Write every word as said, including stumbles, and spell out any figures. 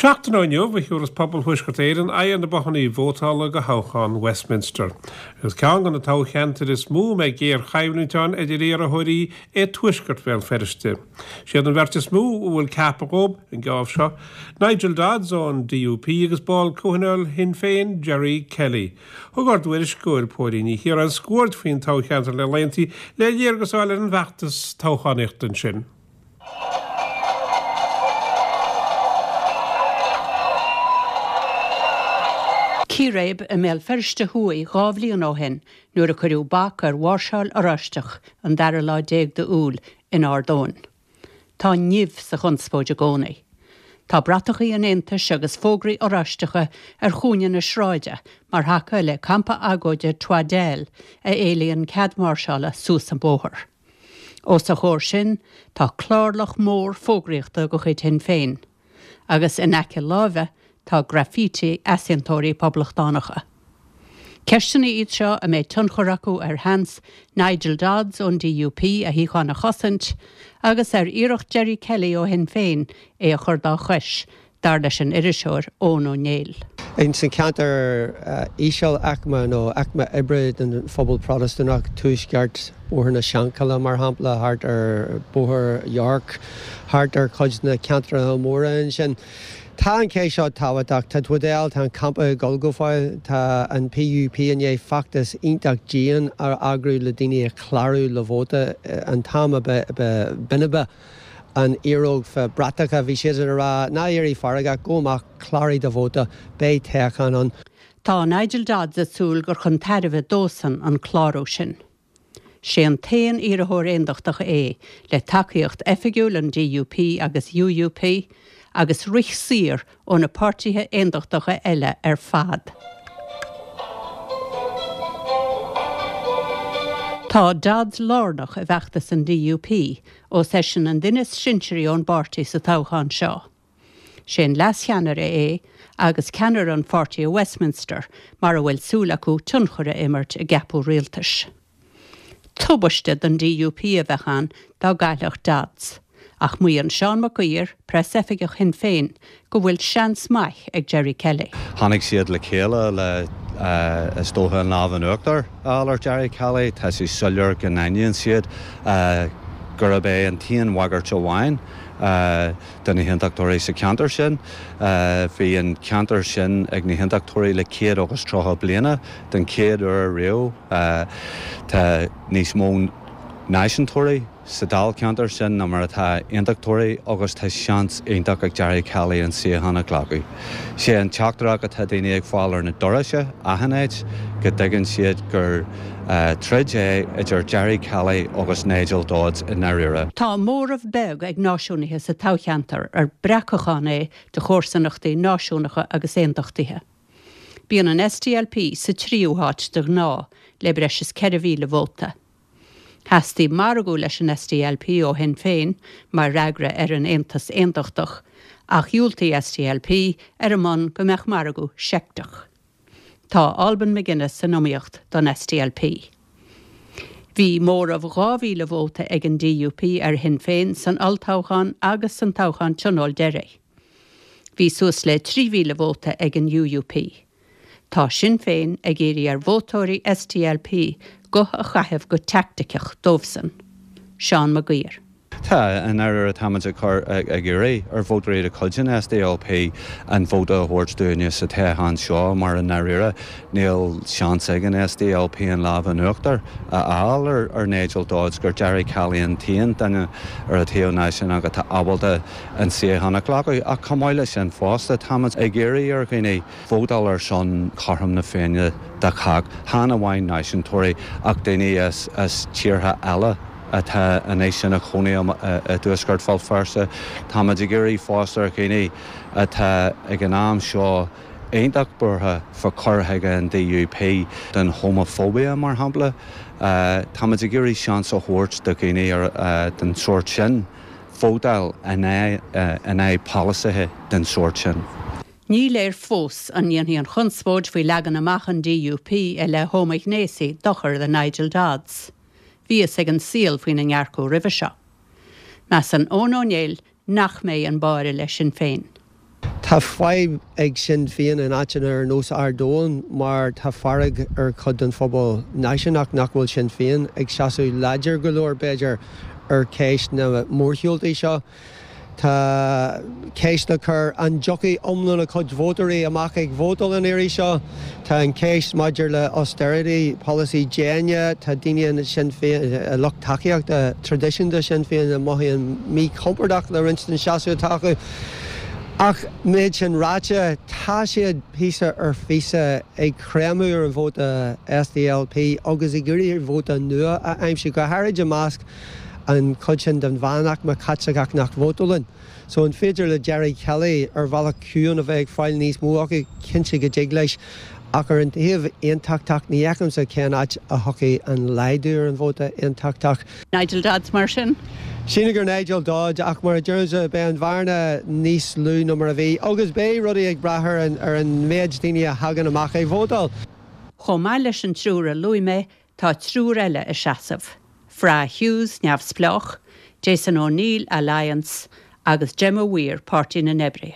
Seachtain ó inniu a thabharfas pobal Thuaisceart Éireann aghaidh ar na bothanna vótála do thoghchán Westminster. Agus ceann de na toghcheantair is mó a mbeidh géarchoimhlint ann idir iarrthóirí é Tuaisceart Bhéal Feirste. Siad an bheirt is mó a bhfuil ceaptha dhóibh an geábh seo, Nigel Dodds ón DUP agus ball comhthionóil Shinn Féin Gerry Kelly. Thug ár dtuairisceoir Póilín Ní Chiaráin scuaird faoin toghcheantar le laethantaí le léargas a fháil ar an bhfeachtas toghchánaíochta ansin. Círéib i mBéal Feirste Thuaidh dhá bhliain ó shin nuair a cuireadh bac ar mháirseáil Oráisteach an dara lá déag d'Iúil in Ard Eoin. Tá nimh sa chonspóid i gcónaí. Tá bratachaí an Aontais agus fógraí Oráisteacha ar chúinne na sráide mar thaca le campa agóide Twaddell a éilíonn cead máirseála suas an bóthar. Os a chomhair sin tá clárlach mór fógraíochta de chuid Shinn Féin. Agus in aice láimhe tá graffiti easaontóirí poblachtánacha. Ceisteanna iad seo a mbeidh tionchar acu ar sheans Nigel Dodds ón DUP a shuíochán a chosaint agus ar iarracht Gerry Kelly ó Shinn Féin é a chur dá chois, dar leis an iriseoir Eoin Ó Néill. Ins an ceantar íseal-aicme nó aicme oibre den phobal Protastúnach, tuaisceart Bhóthar na Seanchille mar shampla, thart ar Bhóthar York, thart ar chuid de na ceantracha móra ansin. Tá an cheist seo tábhachtach. Tá Twaddell, tá an campa ag dul go fóill, tá an PUP i ndiaidh feachtas iontach dian a eagrú le daoine a chlárú le vóta an t-am a ba binbe an iaróg fá bratacha. Bhí siad ag rá, ná éirigh feargach, gabh amach, cláraigh do vóta, beidh toghchán ann. Tá Nigel Dodds ag súil gur chun tairbhe dósan an clárú sin. Sé an t-aon iarrthóir aondachtach é le tacaíocht oifigiúil an DUP agus UUP agus rith saor ó na páirtithe aondachtacha eile ar fad. Tá Dodds lárnach i bhfeachtas an DUP ós eisean an duine is sinsearaí ón bpáirtí sa toghchán seo. Sé an leascheannaire é agus ceannaire an pháirtí i Westminster mar a bhfuil súil acu tionchar a imirt i gceapadh rialtais. Tubaiste don DUP a bheadh ann dá gcaillfeadh Dodds, ach maíonn Seán Mac Uidhir, preasoifigeach Shinn Féin, go bhfuil seans maith ag Gerry Kelly. Tháinig siad le chéile le, is dócha, an lámh in uachtar a fháil ar Gerry Kelly. Tá sé soiléir go n-aithníonn siad gurb é an t-aon bhagairt amháin do na hAontachtóirí sa cheantar sin. Bhí an ceantar sin ag na hAontachtóirí le céad agus tríocha bliana. Den chéad uair riamh tá níos mó náisiúntóirí sa dáilcheantar sin ná mar atá aontachtóirí agus tá seans iontach ag Gerry Kelly an suíochán a ghlacadh. Sé an teachtaireacht atá daoine ag fáil ar na dorais achan áit go dtuigeann siad gur troid é idir Gerry Kelly agus Nigel Dodds i ndáiríre. Tá móramh beag ag náisiúnaithe sa toghcheantar ar breacachán é de chomharsanachtaí náisiúnacha agus aontachtaithe. Bíonn an SDLP sa tríú háit de ghnáth le breis is ceithre mhíle vóta. Theastaigh margadh leis an SDLP ó Shinn Féin mar fhreagra ar an aontas aontachtach ach dhiúltaigh SDLP ar an mbonn go mbeadh margadh seicteach. Tá Alban McGuinness san iomaíocht don SDLP. Bhí móramh dhá mhíle vóta ag an DUP ar Shinn Féin san olltoghchán agus san toghchán tionóil deiridh. Bhí suas le trí mhíle vóta ag an UUP. Tá Sinn Féin ag iarraidh ar vótóirí SDLP guth a chaitheamh go teaicticeach dóibhsan. Seán Mag Uidhir. Tá, i ndáiríre táimid ag cur, ag iarraidh ar vótóirí de chuid an SDLP an vóta a thabhairt dúinne sa toghchán seo mar i ndáiríre níl seans ag an SDLP an lámh in uachtar a fháil ar ar Nigel Dodds, gur Gerry Kelly an t-aon duine ar an taobh náisiúnach atá ábalta an suíochán a ghlacadh. Ach chomh maith leis sin fosta táimid ag iarraidh ar dhaoine vótáil ar son chothrom na Féinne do chách, chan amháin náisiúntóirí ach daoine as as tíortha eile atá anois ina chónaí i dtuaisceart Bhéal Feirste. Táimid ag iarraidh fosta ar dhaoine atá ag an am seo iontach buartha fá chur chuige an DUP den homophobia mar shampla, táimid ag iarraidh seans a thabhairt do dhaoine den sórt sin vótáil in aghaidh polasaithe den sórt sin. Ní léir fós an ndéanfaidh an chonspóid faoi leagan amach an DUP i leith homaighnéasaigh dochar do Nigel Dodds. Bhí fhios ag an saol faoina ndearcadh roimhe seo. Measann Eoin Ó Néill nach mbeidh an báire le Sinn Féin. Tá fadhb ag Sinn Féin in áiteanna ar nós Ard Eoin mar tá fearg ar chuid den phobal náisiúnach nach bhfuil Sinn Féin ag seasamh láidir go leor b'fhéidir ar cheist na mórshiúltaí seo. Tá ceist le cur an dtiocfaidh iomlán a cuid vótóirí amach ag vótáil an iarraidh seo. Tá an ceist maidir le austerity policy déine, tá daoine in Sinn Féin lucht tacaíochta traidisiúnta Sinn Féin a mothaíonn míchompordach le roinnt den seasamh atá acu. Ach méid sin ráite tá siad píosa ar phíosa ag creimeadh ar an vóta SDLP agus ag iarraidh vóta nua a aimsiú go háirid i measc an chuid sin den mheánaicme Chaitliceach nach vótálann. So an féidir le Gerry Kelly ar bhealach ciúin a bheith ag fáil níos mó acu cinnte go dtig leis ach ar an taobh aontachtach ní fheicimse cén áit a thiocfaidh an laghdú ar an vóta aontachtach. Nigel Dodds mar sin? Sílim gur Nigel Dodds ach mar a deirimse beidh an bhearna níos lú ná mar a bhí, agus beidh rudaí ag brath ar an ar an méid daoine a thagann amach ag vótáil. Chomh maith leis an triúr a luaigh mé tá triúr eile ag seasamh. Fra Hughes neamhspleách, Jason O'Neill Alliance agus Gemma Weir Páirtí na nOibrithe.